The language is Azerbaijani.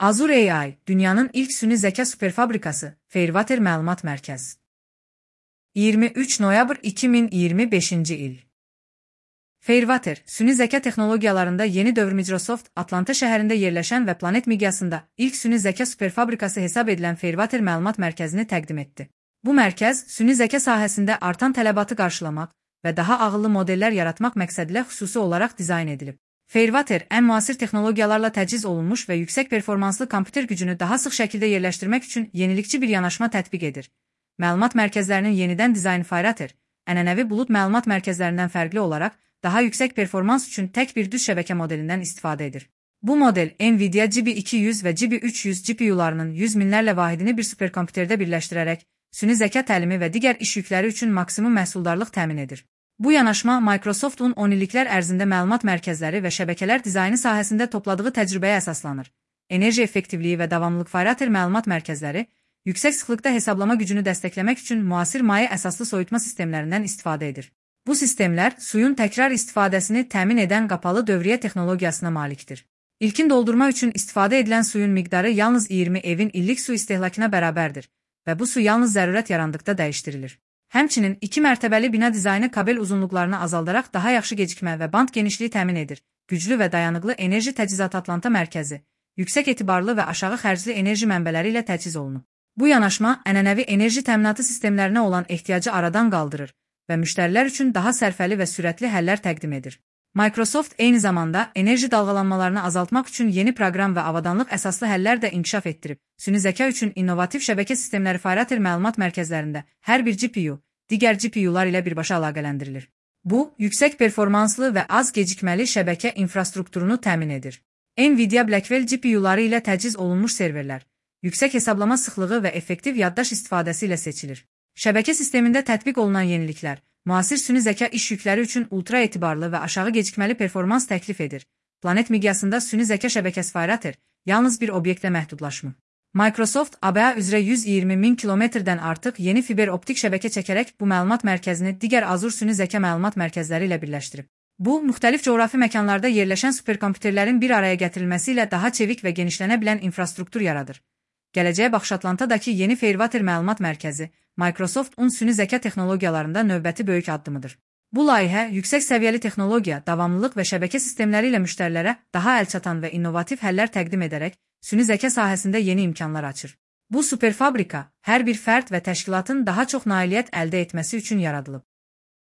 Azure AI, dünyanın ilk süni zeka superfabrikası, Fairwater Məlumat Mərkəzi. 23 noyabr 2025 il. Fairwater, süni zeka texnologiyalarında yeni dövr Microsoft, Atlanta şəhərində yerləşən və planet miqyasında ilk süni zeka superfabrikası hesab edilən Fairwater Məlumat Mərkəzini təqdim etdi. Bu mərkəz, süni zeka sahəsində artan tələbatı qarşılamaq və daha ağıllı modellər yaratmaq məqsədilə xüsusi olaraq dizayn edilib. Fairwater, ən müasir texnologiyalarla təchiz olunmuş və yüksək performanslı kompüter gücünü daha sıx şəkildə yerləşdirmək üçün yenilikçi bir yanaşma tətbiq edir. Məlumat mərkəzlərinin yenidən dizaynı Fairwater, ənənəvi bulut məlumat mərkəzlərindən fərqli olaraq, daha yüksək performans üçün tək bir düz şəbəkə modelindən istifadə edir. Bu model, NVIDIA GB200 və GB300 GPU-larının yüz minlərlə vahidini bir superkompüterdə birləşdirərək, süni zəka təlimi və digər iş yükləri üçün maksimum məhsuldarlıq təmin edir. Bu yanaşma Microsoft'un 10 illiklər ərzində məlumat mərkəzləri və şəbəkələr dizaynı sahəsində topladığı təcrübəyə əsaslanır. Enerji effektivliyi və davamlılıq Fairwater məlumat mərkəzləri, yüksək sıxlıqda hesablama gücünü dəstəkləmək üçün müasir maye əsaslı soyutma sistemlərindən istifadə edir. Bu sistemlər suyun təkrar istifadəsini təmin edən qapalı dövriyyə texnologiyasına malikdir. İlkin doldurma üçün istifadə edilən suyun miqdarı yalnız 20 evin illik su istehlakına bərabərdir və bu su yalnız zərurət yarandıqda dəyişdirilir. Həmçinin 2 mərtəbəli bina dizaynı kabel uzunluqlarını azaldaraq daha yaxşı gecikmə və band genişliyi təmin edir. Güclü və dayanıqlı enerji təchizatı Atlanta mərkəzi, yüksək etibarlı və aşağı xərcli enerji mənbələri ilə təchiz olunub. Bu yanaşma ənənəvi enerji təminatı sistemlərinə olan ehtiyacı aradan qaldırır və müştərilər üçün daha sərfəli və sürətli həllər təqdim edir. Microsoft eyni zamanda enerji dalğalanmalarını azaltmaq üçün yeni proqram və avadanlıq əsaslı həllər də inkişaf etdirib. Süni zəka üçün innovativ şəbəkə sistemləri Fairwater məlumat mərkəzlərində hər bir GPU, digər GPU-lar ilə birbaşa əlaqələndirilir. Bu, yüksək performanslı və az gecikməli şəbəkə infrastrukturunu təmin edir. NVIDIA Blackwell GPU-ları ilə təchiz olunmuş serverlər, yüksək hesablama sıxlığı və effektiv yaddaş istifadəsi ilə seçilir. Şəbəkə sistemində tətbiq olunan yeniliklər, müasir süni zəka iş yükləri üçün ultra etibarlı və aşağı gecikməli performans təklif edir. Planet miqyasında süni zəka şəbəkəsi Fairwater yalnız bir obyektlə məhdudlaşmır. Microsoft ABA üzrə 120 min kilometrdən artıq yeni fiber optik şəbəkə çəkərək bu məlumat mərkəzini digər Azure süni zəka məlumat mərkəzləri ilə birləşdirib. Bu, müxtəlif coğrafi məkanlarda yerləşən superkompüterlərin bir araya gətirilməsi ilə daha çevik və genişlənə bilən infrastruktur yaradır. Gələcəyə baxış Atlantadakı yeni Fairwater məlumat mərkəzi, Microsoft'un süni zəka texnologiyalarında növbəti böyük addımıdır. Bu layihə, yüksək səviyyəli texnologiya, davamlılıq və şəbəkə sistemləri ilə müştərilərə daha əlçatan və innovativ həllər təqdim edərək, süni zəka sahəsində yeni imkanlar açır. Bu superfabrika, hər bir fərd və təşkilatın daha çox nailiyyət əldə etməsi üçün yaradılıb.